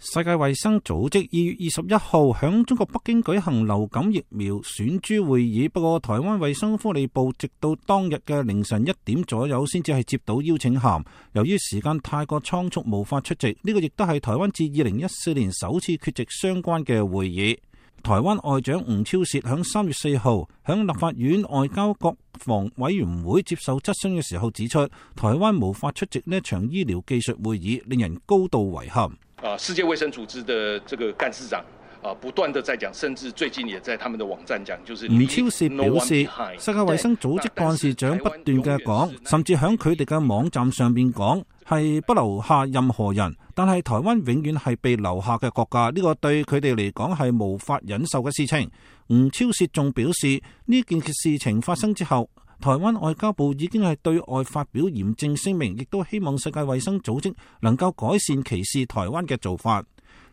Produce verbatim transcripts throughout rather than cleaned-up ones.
世界衛生組織二月二十一號響中國北京舉行流感疫苗選株會議，不過台灣衛生福利部直到當日嘅凌晨一點左右先至係接到邀請函，由於時間太過倉促無法出席，呢、這個亦都係台灣自二零一四年首次缺席相關嘅會議。台灣外長吳釗燮響三月四號響立法院外交國防委員會接受質詢嘅時候指出，台灣無法出席呢一場醫療技術會議，令人高度遺憾。啊，世界衛生組織的這個幹事長啊，不斷地在講，甚至最近也在他們的網站講，就是吳釗燮表示，世界衛生組織幹事長不斷嘅講，甚至響佢哋嘅網站上邊講，係不留下任何人，但係台灣永遠係被留下嘅國家，呢、這個對佢哋嚟講係無法忍受嘅事情。吳釗燮仲表示，呢件事情發生之後，台灣外交部已經係對外發表嚴正聲明，亦都希望世界衛生組織能夠改善歧視台灣嘅做法。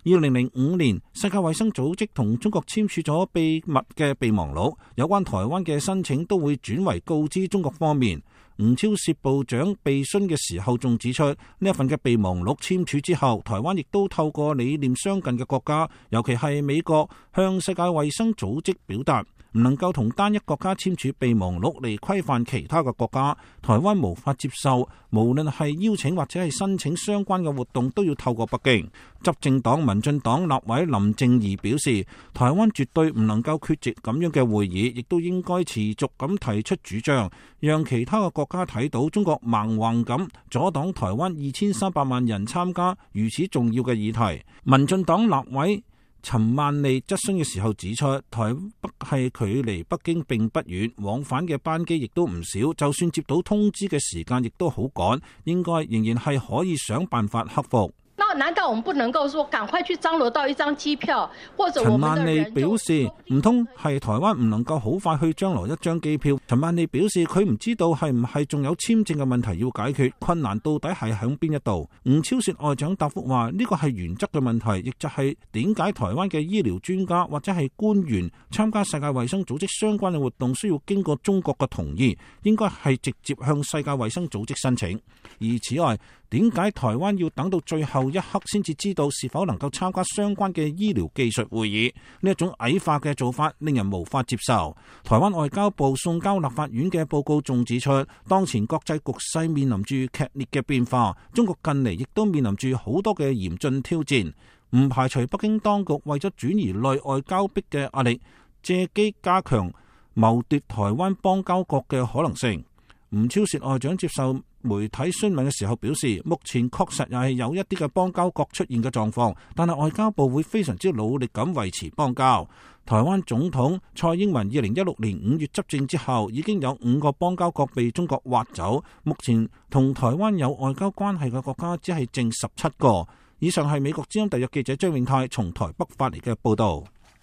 二零零五年，世界衛生組織同中國簽署咗秘密嘅備忘錄，有關台灣嘅申請都會轉為告知中國方面。吳釗燮部長備詢嘅時候仲指出，呢一份嘅備忘錄簽署之後，台灣亦都透過理念相近嘅國家，尤其係美國，向世界衛生組織表達唔能夠同單一國家簽署備忘錄嚟規範其他嘅國家。台灣無法接受，無論係邀請或者係申請相關嘅活動都要透過北京。執政黨民進黨立委林靜儀表示，台灣絕對唔能夠缺席咁樣嘅會議，亦都應該持續咁提出主張，讓其他嘅國家睇到中國蠻橫咁阻擋台灣二千三百萬人參加如此重要嘅議題。民進黨立委陳萬利質詢嘅時候指出，台北係距離北京並不遠，往返嘅班機亦都唔少，就算接到通知嘅時間亦都好趕，應該仍然係可以想辦法克服。那難道我們不能夠說趕快去張羅到一張機票，或者我們的人？陳萬利表示，唔通係台灣唔能夠好快去張羅一張機票？陳萬利表示，佢唔知道係唔係仲有簽證嘅問題要解決，困難到底係響邊一度？吳釗燮外長答覆話，呢個係原則嘅問題，亦就係點解台灣嘅醫療專家或者係官員參加世界衛生組織相關嘅活動需要經過中國嘅同意，應該係直接向世界衛生組織申請。而此外，點解台灣要等到最後一刻先至知道是否能夠參加相關嘅醫療技術會議？呢一種矮化嘅做法令人無法接受。台灣外交部送交立法院嘅報告仲指出，當前國際局勢面臨住劇烈嘅變化，中國近嚟亦都面臨住好多嘅嚴峻挑戰，唔排除北京當局為咗轉移內外交迫嘅壓力，借機加強謀奪台灣邦交國嘅可能性。吳釗燮外長接受媒體詢問嘅時候表示，目前確實又係有一啲嘅邦交國出現嘅狀況，但係外交部會非常之努力咁維持邦交。台灣總統蔡英文二零一六年五月執政之後，已經有五個邦交國被中國挖走，目前同台灣有外交關係嘅國家只係剩十七個。以上係美國之音特約記者張永泰從台北發嚟嘅報道。